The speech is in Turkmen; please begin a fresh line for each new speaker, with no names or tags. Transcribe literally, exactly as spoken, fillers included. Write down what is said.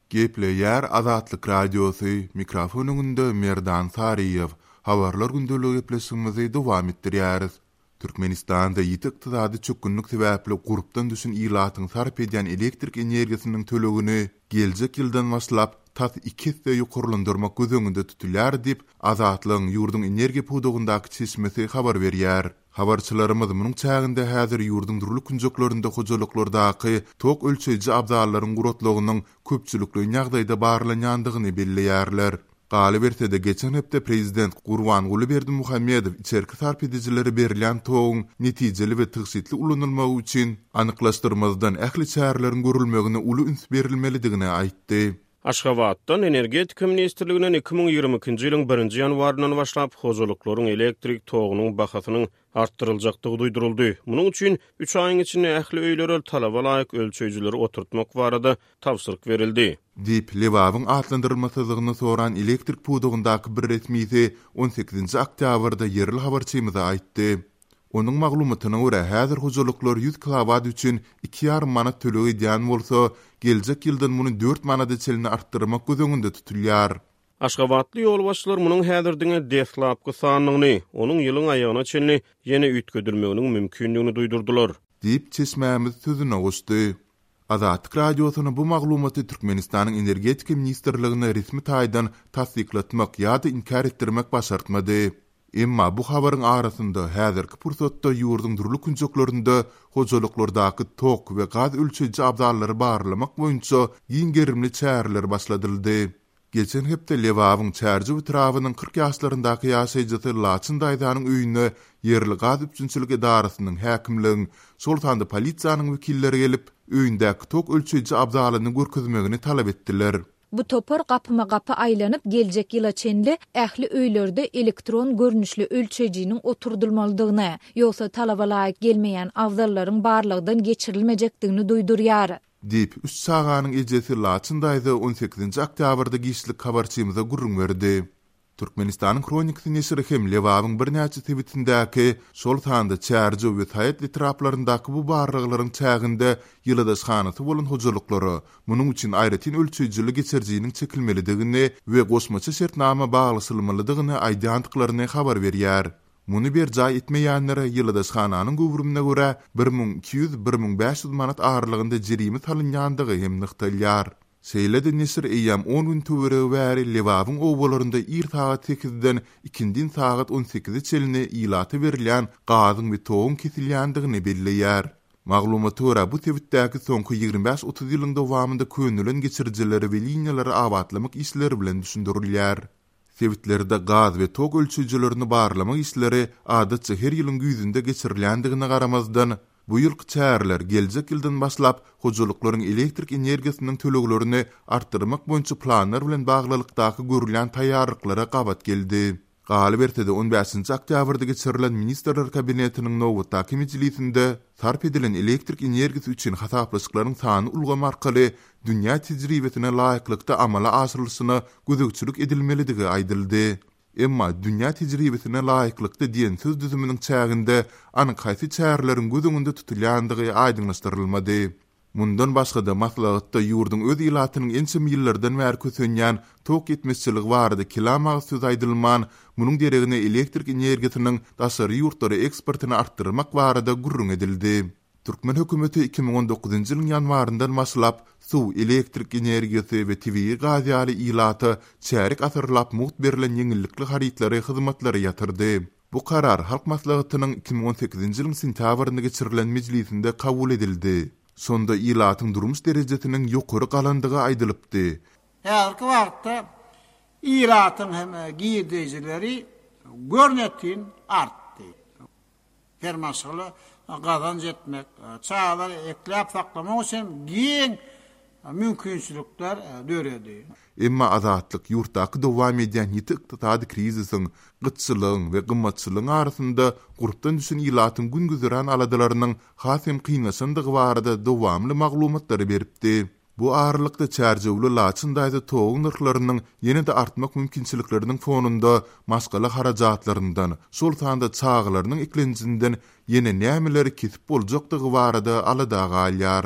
Gepleýär Azatlyk Radiosy, mikrofon öňünde Merdan Saryýew. Habarlar gündeligi gepleşigimizi dowam etdirýäris. Türkmenistanda ýiti ykdysady çökgünlik sebäpli gurpdan düşen ilatyň sarp edýän elektrik energiýasynyň tölegini geljek ýyldan başlap tas iki esse ýokarlandyrmak göz öňünde tutulýar diýip, Azatlygyň ýurduň energiýa pudagyndaky çeşmesi habar berýär. Habarçylarymyz munuň çäginde häzir ýurduň dürli künjeklerinde hojalyklardaky tok ölçeýji abzallaryň guratlygynyň köpçülikleýin ýagdaýda barlanýandygyny belleýärler. Galyberse-de, geçen hepde prezident Gurbanguly Berdimuhamedow içerki sarp edijilere berilýän toguň netijeli we tygşytly ulanylmagy üçin anyklaşdyrmazdan ähli çäreleriň görülmegine uly üns berilmelidigini aýtdy.
Aşgabatdan Energetika ministrliginden iki müň ýigrimi ikinji ýylyň birinji ýanwaryndan başlap hojalyklaryň elektrik togunyň bahasynyň artdyryljakdygy duýduryldy. Munuň üçin üç aýyň içinde ähli öýlere talaba laýyk ölçeýjileri oturtmak barada tabşyryk berildi.
Diýip, Lebabyň atlandyrylmasyzlygyny soran elektrik pudagyndaky bir resmisi on sekizinji oktýabrda ýerli habarçymyza aýtdy. Onuň maglumatyna görä, häzir hojalyklar ýüz kilowat üçin iki ýarym manat töleg edýän bolsa, geljek ýyldan muny dört manada çenli artdyrmak göz öňünde tutulýar.
Aşgabatly ýolbaşçylar munuň häzir diňe deslapky sanlygyny, onuň ýylyň aýagyna çenli ýene üýtgedilmeginiň mümkindigini duýdurdylar.
Diýip, çeşmämiz sözüne goşdy. Azatlyk Radiosyna bu maglumaty Türkmenistanyň Energetika ministrligine resmi taýdan tassyklatmak ýa-da inkär etdirmek başartmady. Emma bu habaryň arasynda häzirki pursatda ýurduň dürli künjeklerinde hojalyklardaky tok we gaz ölçeýji abzallary barlamak boýunça giň gerimli çäreler başladyldy. Geçen hepde Lebabyň Çärjew etrabynyň kyrk ýaşlaryndaky ýaşaýjysy Laçyn daýzanyň öýüne ýerli gaz üpjünçilik edarasynyň, häkimligiň, şol sanda polisiýanyň wekilleri gelip, öýündäki tok ölçeýji abzalyny görkezmegini talap etdiler.
Bu topar gapyma gapy aýlanyp geljek ýyla çenli ähli öýlerde elektron görnüşli ölçeýjiniň oturdylmalydygyny, ýogsa talaba laýyk gelmeýän abzallaryň barlykdan geçirilmejekdigini duýdurýar.
Diýip, üç çaganyň ejesi Laçyn daýza on sekizinji oktýabrda giçlik habarçymyza gürrüň berdi. Türkmenistanyň Hronikasy neşiri hem Lebabyň birnäçe sebitindäki, şol sanda Çärjew we Saýat etraplaryndaky bu barlaglaryň çäginde ýylydaşhanasy bolan hojalyklara munuň üçin aýratyn ölçeýjili geçirijiniň çekilmelidigini we goşmaça şertnama baglaşylmalydygyny aýdýandyklaryny habar berýär. Muny berjaý etmeýänlere ýylydaşhananyň göwrümine görä bir müň iki ýüz, bir müň bäş ýüz manat aralygynda jerime salynýandygy hem nygtalýar. Şeýle-de neşir eýýäm on gün töweregi bäri Lebabyň obalarynda ir sagat sekizden ikindin sagat on sekize çenli ilata berilýän gazyň we toguň kesilýändigini belleýär. Maglumata görä, bu sebitdäki soňky ýigrimi bäş otuz ýylyň dowamynda könelen geçirijileri we liniýalary abatlamak işleri bilen düşündirilýär. Sebitlerde gaz we tok ölçeýjilerini barlamak işleri adatça her ýylyň güýzünde geçirilýändigine garamazdan, bu ýylky çäreler geljek ýyldan başlap hojalyklaryň elektrik energiýasynyň töleglerini artdyrmak boýunça planlar bilen baglylykdaky görülýän taýýarlyklara gabat geldi. Galyberse-de on bäşinji oktýabrda geçirilen Ministrler Kabinetiniň nobatdaky mejlisinde sarp edilen elektrik energiýasy üçin hasaplaşyklaryň sany ulgamy arkaly dünýä tejribesine laýyklykda amala aşyrylyşyna gözegçilik edilmelidigi aýdyldy. Emma dünýä tejribesine laýyklykda diýen söz düzüminiň çäginde anyk haýsy çäreleriň göz öňünde tutulýandygy aýdyňlaşdyrylmady. Mundan başga-da maslahatda ýurduň öz ilatynyň ençeme ýyllardan bäri kösenýän tok ýetmezçiligi barada kelam agyz söz aýdylman, munuň deregine elektrik energiýasynyň daşary ýurtlara eksportyny artdyrmak barada gürrüň edildi. Türkmen hökümeti iki müň on dokuzynjy ýylyň ýanwaryndan başlap suw, elektrik energiýasy we tebigy gaz ýaly ilata çärýek asyrlap mugt berlen ýeňillikli harytlary, hyzmatlary ýatyrdy. Bu karar Halk Maslahatynyň iki müň on sekizinji ýylyň sentýabrynda geçirilen mejlisinde kabul edildi. Şonda ilatyň durmuş derejesiniň ýokary galandygy aýdylypdy.
Häzirki wagtda ilatyň hem girdejileri görnetin artdy. Her maşgala gazanç etmek, çagalary ekläp saklamak üçin giň mümkinçilikler döredi.
Emma Azatlyk ýurtdaky dowam edýän ýiti ykdysady krizisiň, gytçylygyň we gymmatçylygyň arasynda gurpdan düşen ilatyň gün-güzeran aladalarynyň has hem kynlaşandygy barada dowamly maglumatlary beripdi. Bu aralykda Çärjewli Laçyn daýza toguň nyrhlarynyň ýene-de artmak mümkinçilikleriniň fonunda maşgala harajatlaryndan, şol sanda çagalarynyň eklenjinden ýene nämeleri kesip boljakdygy barada alada galýar.